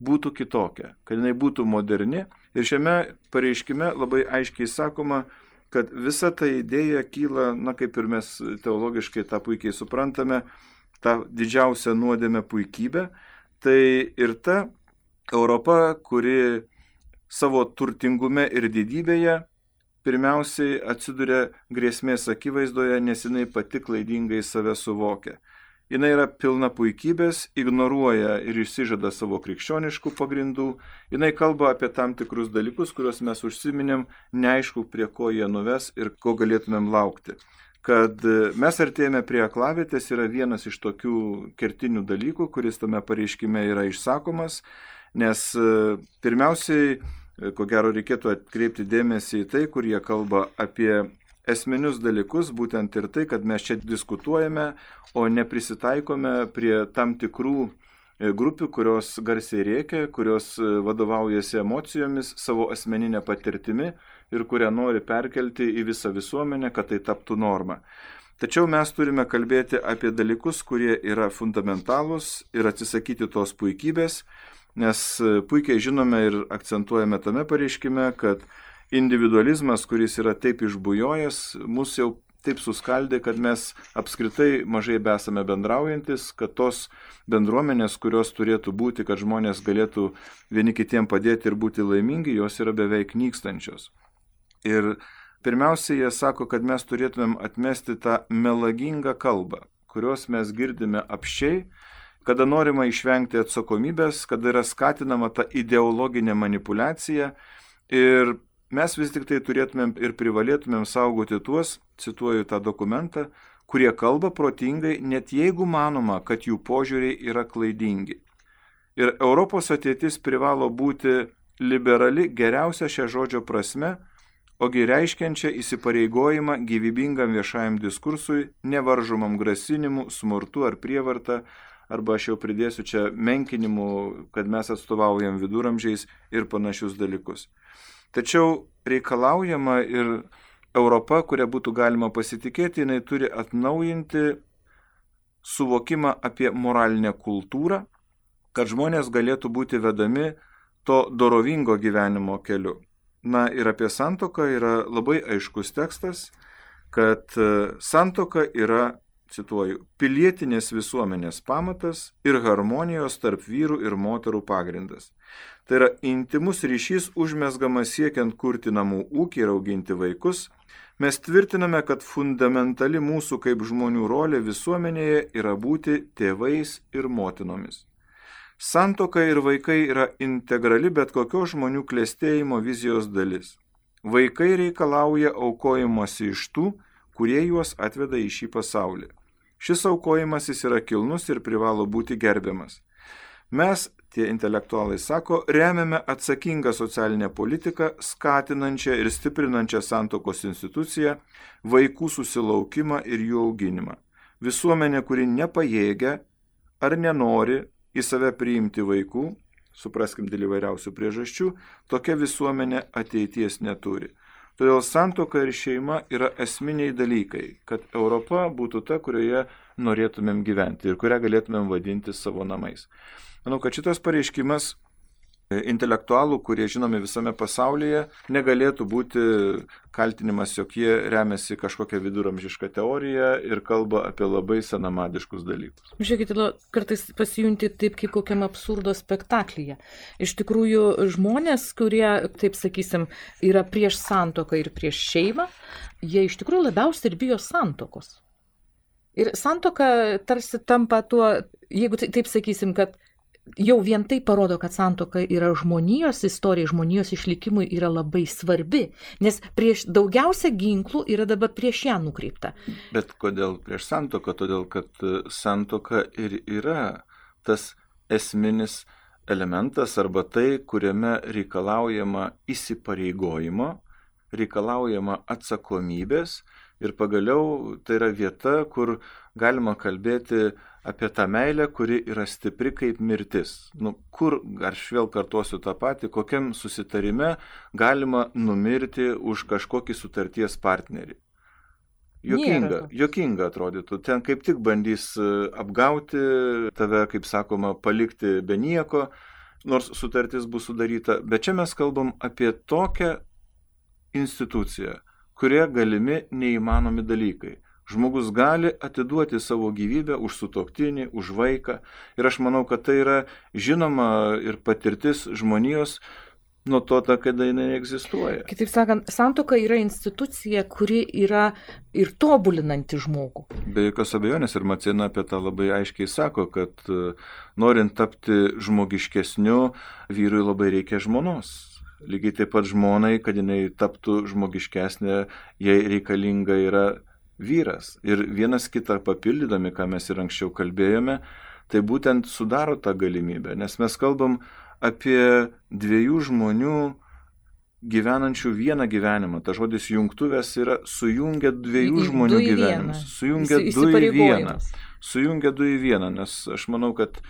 būtų kitokia, kad jinai būtų moderni. Ir šiame pareiškime labai aiškiai sakoma, kad visa ta idėja kyla, na kaip ir mes teologiškai tą puikiai suprantame, tą didžiausią nuodėmę puikybę, tai ir ta Europa, kuri savo turtingume ir didybėje pirmiausiai atsiduria grėsmės akivaizdoje, nes jinai pati klaidingai save suvokia. Jinai yra pilna puikybės, ignoruoja ir išsižada savo krikščioniškų pagrindų. Jinai kalba apie tam tikrus dalykus, kuriuos mes užsiminėm, neaišku, prie ko jie nuves ir ko galėtumėm laukti. Kad mes artėjame prie aklavietės yra vienas iš tokių kertinių dalykų, kuris tame pareiškime yra išsakomas, nes pirmiausiai, ko gero, reikėtų atkreipti dėmesį į tai, kur jie kalba apie esminius dalykus, būtent ir tai, kad mes čia diskutuojame, o neprisitaikome prie tam tikrų grupių, kurios garsiai rėkia, kurios vadovaujasi emocijomis, savo asmeninę patirtimi ir kurią nori perkelti į visą visuomenę, kad tai taptų norma. Tačiau mes turime kalbėti apie dalykus, kurie yra fundamentalūs ir atsisakyti tos puikybės, nes puikiai žinome ir akcentuojame tame pareiškime, kad individualizmas, kuris yra taip išbujojęs, mus jau taip suskaldė, kad mes apskritai mažai besame bendraujantis, kad tos bendruomenės, kurios turėtų būti, kad žmonės galėtų vieni kitiem padėti ir būti laimingi, jos yra beveik nykstančios. Ir pirmiausia, jie sako, kad mes turėtumėm atmesti tą melagingą kalbą, kurios mes girdime apsčiai, kada norima išvengti atsakomybės, kada yra skatinama ta ideologinė manipulacija ir mes vis tik tai turėtumėm ir privalėtumėm saugoti tuos, cituoju tą dokumentą, kurie kalba protingai, net jeigu manoma, kad jų požiūriai yra klaidingi. Ir Europos ateitis privalo būti liberali geriausia šia žodžio prasme, ogi reiškiančia įsipareigojimą gyvybingam viešajam diskursui, nevaržomam grasinimu, smurtu ar prievarta, arba aš jau pridėsiu čia menkinimu, kad mes atstovaujam viduramžiais ir panašius dalykus. Tačiau reikalaujama ir Europa, kurią būtų galima pasitikėti, jinai turi atnaujinti suvokimą apie moralinę kultūrą, kad žmonės galėtų būti vedami to dorovingo gyvenimo keliu. Na ir apie santuoką yra labai aiškus tekstas, kad santuoka yra, cituoju, pilietinės visuomenės pamatas ir harmonijos tarp vyrų ir moterų pagrindas. Tai yra intimus ryšys užmezgamas siekiant kurti namų ūkį ir auginti vaikus. Mes tvirtiname, kad fundamentali mūsų kaip žmonių rolė visuomenėje yra būti tėvais ir motinomis. Santuoka ir vaikai yra integrali bet kokios žmonių klestėjimo vizijos dalis. Vaikai reikalauja aukojimosi iš tų, kurie juos atveda į šį pasaulį. Šis aukojimasis yra kilnus ir privalo būti gerbiamas. Mes, tie intelektualai sako, remiame atsakingą socialinę politiką, skatinančią ir stiprinančią santuokos instituciją, vaikų susilaukimą ir jų auginimą. Visuomenė, kuri nepajėgia ar nenori į save priimti vaikų, supraskim dėl įvairiausių priežasčių, tokia visuomenė ateities neturi. Todėl santuoka ir šeima yra esminiai dalykai, kad Europa būtų ta, kurioje norėtumėm gyventi ir kurią galėtumėm vadinti savo namais. Manau, kad šitas pareiškimas intelektualų, kurie žinomi visame pasaulyje, negalėtų būti kaltinimas, jog jie remiasi kažkokią viduramžišką teoriją ir kalba apie labai senamadiškus dalykus. Žiūrėkite, kartais pasijunti taip kaip kokiam absurdo spektaklyje. Iš tikrųjų, žmonės, kurie, taip sakysim, yra prieš santuoką ir prieš šeimą, jie iš tikrųjų labiausiai ir bijo santuokos. Ir santuoka tarsi tampa tuo, jeigu taip sakysim, kad jau vien tai parodo, kad santuoka yra žmonijos istorija, žmonijos išlikimui yra labai svarbi, nes prieš daugiausia ginklų yra dabar prieš ją nukreipta. Bet kodėl prieš santuoką? Todėl, kad santuoka ir yra tas esminis elementas arba tai, kuriame reikalaujama įsipareigojimo, reikalaujama atsakomybės ir pagaliau tai yra vieta, kur galima kalbėti apie tą meilę, kuri yra stipri kaip mirtis. Nu, kur, aš vėl kartuosiu tą patį, kokiam susitarime galima numirti už kažkokį sutarties partnerį. Jokinga, jokinga atrodytų. Ten kaip tik bandys apgauti tave, kaip sakoma, palikti be nieko, nors sutartis bus sudaryta. Bet čia mes kalbam apie tokią instituciją, kurie galimi neįmanomi dalykai. Žmogus gali atiduoti savo gyvybę už sutuoktinį, už vaiką. Ir aš manau, kad tai yra žinoma ir patirtis žmonijos nuo to, kada jinai egzistuoja. Kitaip sakant, santuoka yra institucija, kuri yra ir tobulinanti žmogų. Be jokios abejonės, ir Macena apie tą labai aiškiai sako, kad norint tapti žmogiškesniu, vyrui labai reikia žmonos. Lygiai taip pat žmonai, kad jinai taptų žmogiškesnė, jai reikalinga yra vyras. Ir vienas kitą papildydami, ką mes ir anksčiau kalbėjome, tai būtent sudaro tą galimybę, nes mes kalbam apie dviejų žmonių gyvenančių vieną gyvenimą. Ta žodis jungtuvės yra sujungia dviejų žmonių gyvenimus. Sujungia du į vieną. Sujungia du į vieną, nes aš manau, kad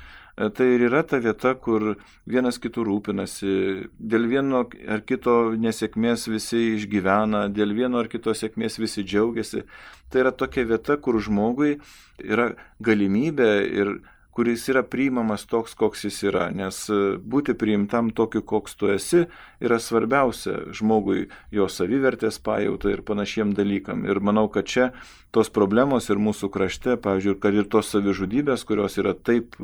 tai ir yra ta vieta, kur vienas kitų rūpinasi, dėl vieno ar kito nesėkmės visi išgyvena, dėl vieno ar kito sėkmės visi džiaugiasi. Tai yra tokia vieta, kur žmogui yra galimybė ir kuris yra priimamas toks, koks jis yra, nes būti priimtam tokiu, koks tu esi, yra svarbiausia žmogui jo savivertės pajauta ir panašiem dalykam. Ir manau, kad čia tos problemos ir mūsų krašte, pavyzdžiui, kad ir tos savižudybės, kurios yra taip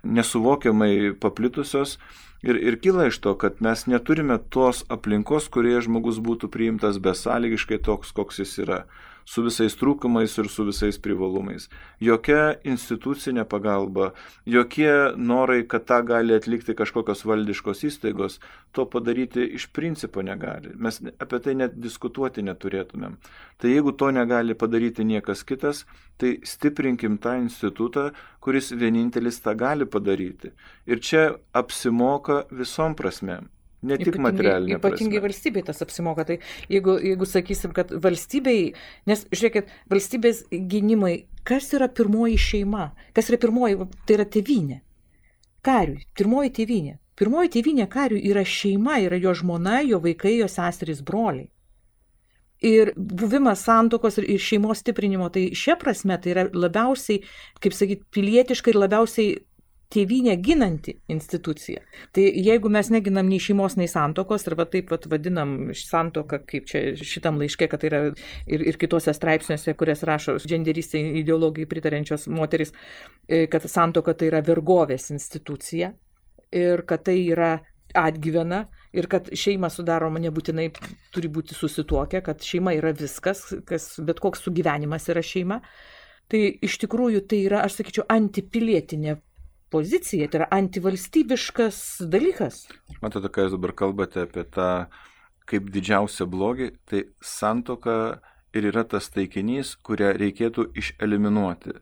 nesuvokiamai paplitusios, ir, ir kyla iš to, kad mes neturime tos aplinkos, kurioje žmogus būtų priimtas besąlygiškai toks, koks jis yra, su visais trūkumais ir su visais privalumais. Jokia institucinė pagalba, jokie norai, kad tą gali atlikti kažkokios valdiškos įstaigos, to padaryti iš principo negali. Mes apie tai net diskutuoti neturėtumėm. Tai jeigu to negali padaryti niekas kitas, tai stiprinkim tą institutą, kuris vienintelis tą gali padaryti. Ir čia apsimoka visom prasmėm. Ne tik materialinė prasme. Ypatingai valstybei tas apsimoka. Tai jeigu, jeigu sakysim, kad valstybei, nes žiūrėkit, valstybės gynimai, kas yra pirmoji šeima? Kas yra pirmoji? Tai yra tėvynė. Kariui. Pirmoji tėvynė. Pirmoji tėvynė kariui yra šeima, yra jo žmona, jo vaikai, jo seserys, broliai. Ir buvimas santuokos ir šeimos stiprinimo, tai šia prasme tai yra labiausiai, kaip sakyti, pilietiška ir labiausiai tėvynę ginanti institucija. Tai jeigu mes neginam nei šeimos, nei santuokos, arba taip pat vadinam santuoką, kaip čia šitam laiške, kad tai yra ir, ir kitose straipsniuose, kurias rašo dženderistai ideologijai pritarenčios moteris, kad santuoka tai yra vergovės institucija ir kad tai yra atgyvena ir kad šeima sudaroma nebūtinai turi būti susituokę, kad šeima yra viskas, kas, bet koks sugyvenimas yra šeima. Tai iš tikrųjų tai yra, aš sakyčiau, antipilietinė pozicija, tai yra antivalstybiškas dalykas. Matote, kai jūs dabar kalbate apie tą kaip didžiausią blogį, tai santuoka ir yra tas taikinys, kurią reikėtų išeliminuoti.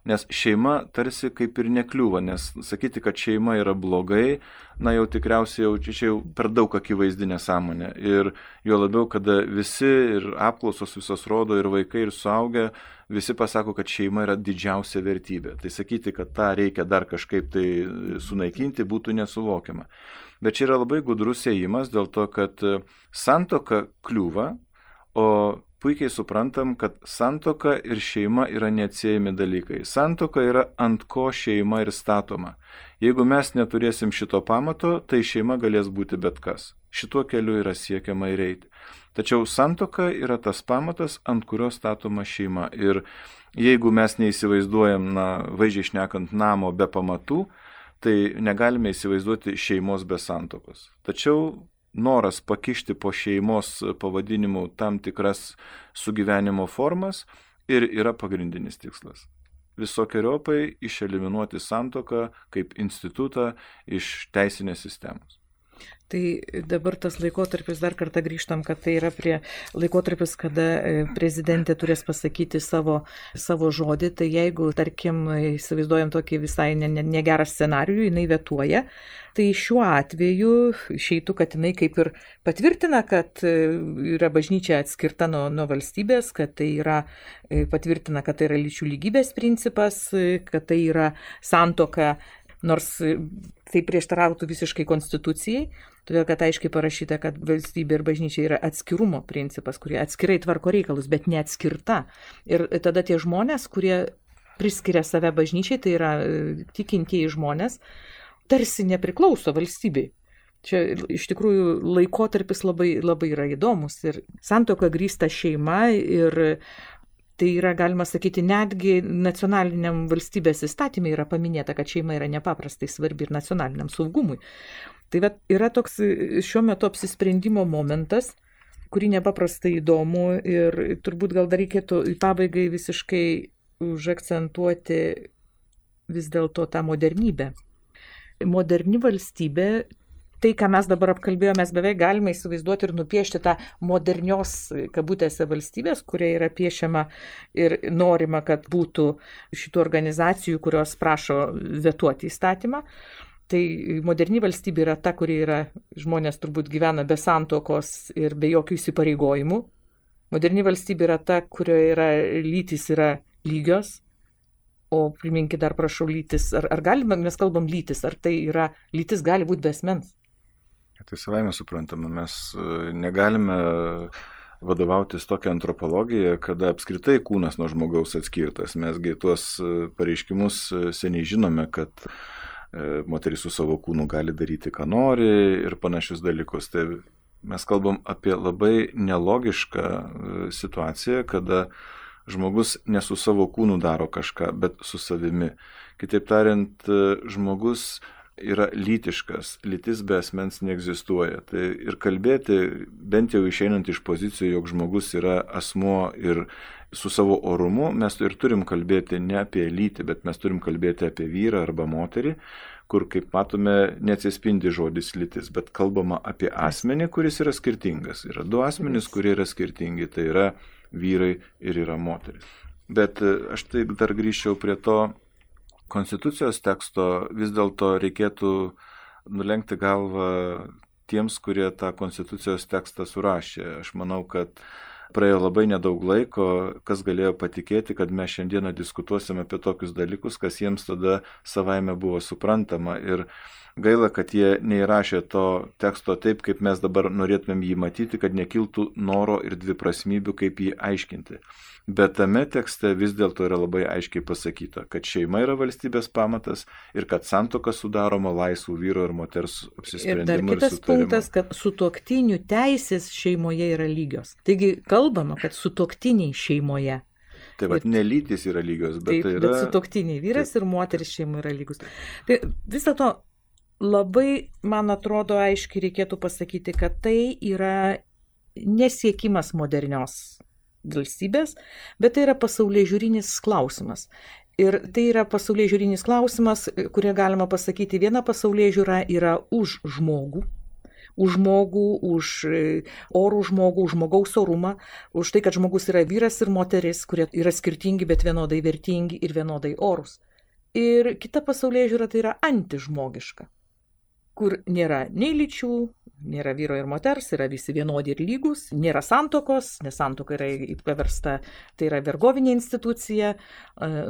Nes šeima tarsi kaip ir nekliūva, nes sakyti, kad šeima yra blogai, na jau tikriausiai jau čia jau per daug akivaizdi nesąmonė. Ir jo labiau, kada visi ir apklausos visos rodo, ir vaikai, ir suaugę, visi pasako, kad šeima yra didžiausia vertybė. Tai sakyti, kad tą reikia dar kažkaip tai sunaikinti, būtų nesuvokiama. Bet čia yra labai gudrus ėjimas dėl to, kad santuoka kliūva, o puikiai suprantam, kad santuoka ir šeima yra neatsiejami dalykai. Santuoka yra ant ko šeima ir statoma. Jeigu mes neturėsim šito pamato, tai šeima galės būti bet kas. Šituo keliu yra siekiama ir eiti. Tačiau santuoka yra tas pamatas, ant kurio statoma šeima. Ir jeigu mes neįsivaizduojam, na, vaizdžiai šnekant, namo be pamatų, tai negalime įsivaizduoti šeimos be santuokos. Tačiau noras pakišti po šeimos pavadinimu tam tikras sugyvenimo formas ir yra pagrindinis tikslas. Visokiojopai išeliminuoti santuoką kaip institutą iš teisinės sistemos. Tai dabar tas laikotarpis, dar kartą grįžtam, kad tai yra prie laikotarpis, kada prezidentė turės pasakyti savo, savo žodį, tai jeigu, tarkim, įsivaizduojam tokį visai negerą scenarijų, jinai vetuoja, tai šiuo atveju išeitų, kad jinai kaip ir patvirtina, kad yra bažnyčia atskirta nuo, nuo valstybės, kad tai yra, patvirtina, kad tai yra lyčių lygybės principas, kad tai yra santuoka, nors tai prieštarautų visiškai konstitucijai, todėl kad aiškiai parašyta, kad valstybė ir bažnyčia yra atskirumo principas, kurie atskirai tvarko reikalus, bet neatskirta. Ir tada tie žmonės, kurie priskiria save bažnyčiai, tai yra tikintieji žmonės, tarsi nepriklauso valstybei. Čia iš tikrųjų laikotarpis labai, labai yra įdomus ir santuoka grįsta šeima ir tai yra, galima sakyti, netgi nacionaliniam valstybės įstatymė yra paminėta, kad šeima yra nepaprastai svarbi ir nacionaliniam saugumui. Tai vat, yra toks šiuo metu apsisprendimo momentas, kurį nepaprastai įdomu ir turbūt gal dar reikėtų į pabaigai visiškai užakcentuoti vis dėlto tą modernybę. Moderni valstybė, tai, ką mes dabar apkalbėjome, mes beveik galime įsivaizduoti ir nupiešti tą modernios kabutėse valstybės, kuria yra piešiama ir norima, kad būtų šitų organizacijų, kurios prašo vetuoti įstatymą. Tai moderni valstybė yra ta, kuri yra, žmonės turbūt gyvena be santuokos ir be jokių įsipareigojimų. Moderni valstybė yra ta, kurioje yra lytys yra lygios. O priminkit dar, prašau, lytis. Ar, ar galime, mes kalbam lytis, ar tai yra, lytis gali būti be asmens? Tai savaime suprantama, mes negalime vadovautis tokią antropologiją, kada apskritai kūnas nuo žmogaus atskirtas. Mesgi tuos pareiškimus seniai žinome, kad moteris su savo kūnu gali daryti, ką nori ir panašius dalykus. Tai mes kalbam apie labai nelogišką situaciją, kada žmogus ne su savo kūnu daro kažką, bet su savimi. Kitaip tariant, žmogus yra lytiškas, lytis be asmens neegzistuoja. Tai ir kalbėti, bent jau išeinant iš pozicijų, jog žmogus yra asmuo ir su savo orumu, mes ir turim kalbėti ne apie lytį, bet mes turim kalbėti apie vyrą arba moterį, kur, kaip matome, neatsispindi žodis lytis, bet kalbama apie asmenį, kuris yra skirtingas. Yra du asmenys, kurie yra skirtingi, tai yra vyrai ir yra moteris. Bet aš taip dar grįžčiau prie to konstitucijos teksto, vis dėlto reikėtų nulenkti galvą tiems, kurie tą konstitucijos tekstą surašė. Aš manau, kad praėjo labai nedaug laiko, kas galėjo patikėti, kad mes šiandieną diskutuosime apie tokius dalykus, kas jiems tada savaime buvo suprantama. Ir gaila, kad jie neįrašė to teksto taip, kaip mes dabar norėtumėm jį matyti, kad nekiltų noro ir dviprasmybių, kaip jį aiškinti. Bet tame tekste vis dėlto yra labai aiškiai pasakyta, kad šeima yra valstybės pamatas ir kad santuoka sudaroma laisvų vyro ir moters apsisprendimu ir sutarimu. Ir dar kitas punktas, kad sutuoktinių teisės šeimoje yra lygios. Taigi kalbama, kad sutuoktiniai šeimoje. Tai vad, ne lytys yra lygios, bet taip, tai yra... Bet sutuoktiniai vyras taip. Ir moteris šeimoje yra lygus. Tai vis dėlto labai, man atrodo, aiškiai reikėtų pasakyti, kad tai yra nesiekimas modernios valstybės, bet tai yra pasaulėžiūrinis klausimas. Ir tai yra pasaulėžiūrinis klausimas, kurie galima pasakyti, viena pasaulėžiūra yra už žmogų, už žmogų, už orų žmogų, už žmogaus orumą, už tai, kad žmogus yra vyras ir moteris, kurie yra skirtingi, bet vienodai vertingi ir vienodai orūs. Ir kita pasaulėžiūra tai yra antižmogiška, kur nėra nei lyčių, Nėra vyro ir moters, yra visi vienodi ir lygus, nėra santokos, nes santoka yra paversta, tai yra vergovinė institucija,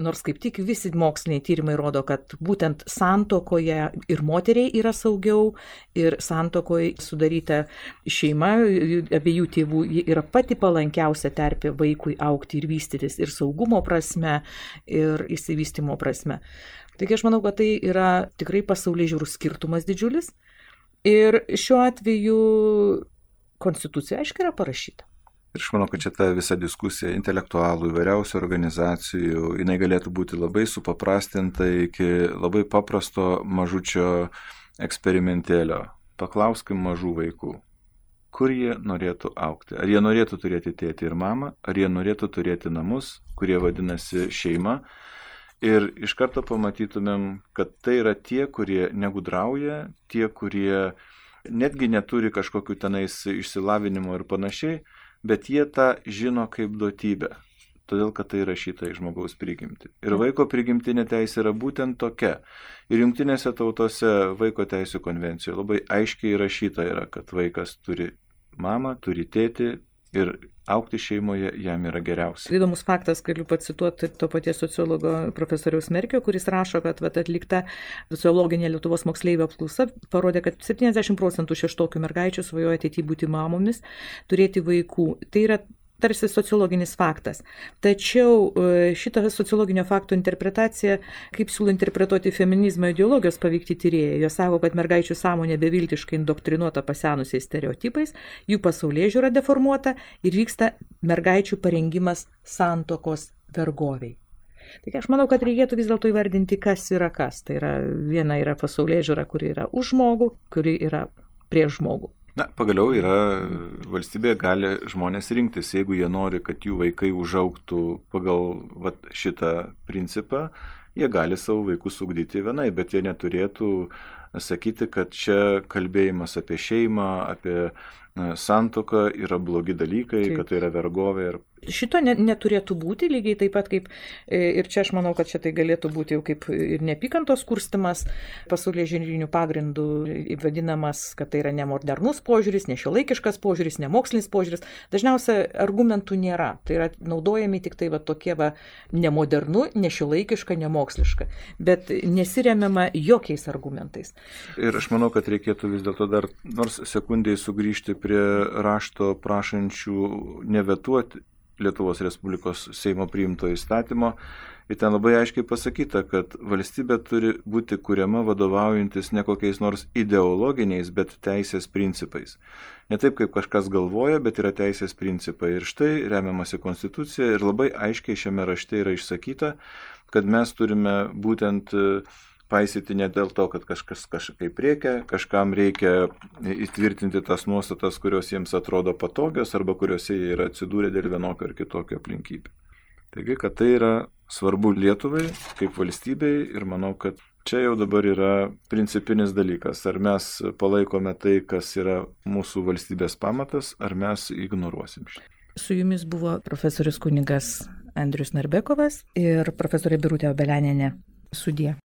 nors kaip tik visi moksliniai tyrimai rodo, kad būtent santokoje ir moteriai yra saugiau, ir santokoje sudaryta šeima, abiejų tėvų yra pati palankiausia terpė vaikui augti ir vystytis ir saugumo prasme, ir įsivystymo prasme. Taigi aš manau, kad tai yra tikrai pasaulyje žiūrų skirtumas didžiulis. Ir šiuo atveju konstitucija aiškiai yra parašyta. Ir aš manau, kad čia ta visa diskusija intelektualų, įvairiausių organizacijų, jinai galėtų būti labai supaprastinta iki labai paprasto mažučio eksperimentėlio. Paklauskim mažų vaikų, kur jie norėtų augti. Ar jie norėtų turėti tėtį ir mamą, ar jie norėtų turėti namus, kurie vadinasi šeima. Ir iš karto pamatytumėm, kad tai yra tie, kurie negudrauja, tie, kurie netgi neturi kažkokių tenais išsilavinimo ir panašiai, bet jie tą žino kaip duotybę, todėl kad tai rašyta į žmogaus prigimtį. Ir vaiko prigimtinė teisė yra būtent tokia. Ir jungtinėse tautose vaiko teisų konvencijoje labai aiškiai rašyta yra, kad vaikas turi mamą, turi tėtį ir augti šeimoje jam yra geriausia. Įdomus faktas, galiu pacituoti to paties sociologo profesoriaus Merkio, kuris rašo, kad vat, atlikta sociologinė Lietuvos moksleivių apklausa parodė, kad septyniasdešimt procentų šeštokių mergaičių svajoja ateityje būti mamomis, turėti vaikų. Tai yra tarsi sociologinis faktas. Tačiau šitą sociologinio fakto interpretaciją, kaip siūlo interpretuoti feminizmo ideologijos paveikti tyrėjai, jos sako, kad mergaičių sąmonė beviltiškai indoktrinuota pasenusiais stereotipais, jų pasaulėžiūra deformuota ir vyksta mergaičių parengimas santokos vergoviai. Taigi aš manau, kad reikėtų vis dėlto įvardinti, kas yra kas. Tai yra viena yra pasaulėžiūra, kuri yra už žmogų, kuri yra prieš žmogų. Na, pagaliau yra, valstybė gali žmonės rinktis, jeigu jie nori, kad jų vaikai užaugtų pagal vat, šitą principą, jie gali savo vaikus ugdyti vienai, bet jie neturėtų sakyti, kad čia kalbėjimas apie šeimą, apie santuoką yra blogi dalykai, Taip. Kad tai yra vergovė. Ir... Šito ne, neturėtų būti, lygiai taip pat kaip, ir čia aš manau, kad čia tai galėtų būti jau kaip ir neapykantos kurstimas, pasaulyje žiūrinių pagrindų vadinamas, kad tai yra nemodernus požiūris, nešiuolaikiškas požiūris, nemokslinis požiūris. Dažniausiai argumentų nėra, tai yra naudojami tik tai va, tokie va, nemodernu, nešiuolaikiška, nemoksliška, bet nesiremiama jokiais argumentais. Ir aš manau, kad reikėtų vis dėlto dar nors sekundžiai sugrįžti prie rašto prašančių nevetuoti Lietuvos Respublikos Seimo priimto įstatymo. Ir ten labai aiškiai pasakyta, kad valstybė turi būti kuriama vadovaujantis ne kokiais nors ideologiniais, bet teisės principais. Ne taip, kaip kažkas galvoja, bet yra teisės principai. Ir štai remiamasi konstitucija ir labai aiškiai šiame rašte yra išsakyta, kad mes turime būtent paisyti ne dėl to, kad kažkas kažkaip reikia, kažkam reikia įtvirtinti tas nuostatas, kurios jiems atrodo patogios arba kuriuose jie yra atsidūrę dėl vienokio ar kitokio aplinkybių. Taigi, kad tai yra svarbu Lietuvai kaip valstybei ir manau, kad čia jau dabar yra principinis dalykas. Ar mes palaikome tai, kas yra mūsų valstybės pamatas, ar mes ignoruosim šitą. Su jumis buvo profesorius kunigas Andrius Narbekovas ir profesorė Birutė Obelianienė. Sudie.